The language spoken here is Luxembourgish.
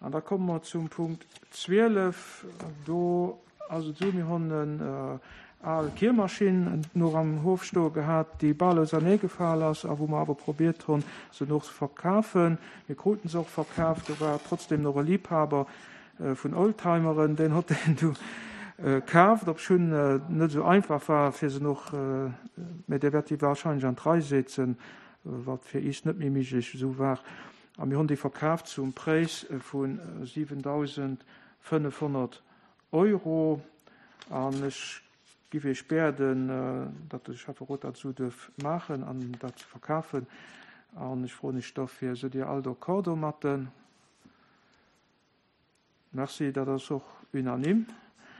An da komme mer zum Punkt 12. Do ass et esou, mir hunn en al Kiermaschinn nach am Hof stoe gehat, déi bal auserneegefal ass a wou mer awer probiert hunn, se noch ze verkafen. Mir kruten se och verkaaft. Do war trotzdem nach e Liebhaber vun Oldtimeren, deen hott deen du kaaft, obschunn et net esou einfach war, fir se noch, mä dee wäert déi wahrscheinlech an d'Rei setzen, wat fir iis net méi miglech esou war. A mir hunn déi verkaaft zum Präis vu 7.500 Euro. An ech giff Iech bäerden, datt de Schäfferot dat esou duerf maachen an dat ze verkafen. An ech froen Iech dofir, Sidd Dir all d'accord domatten? Merci, dat ass och unanime.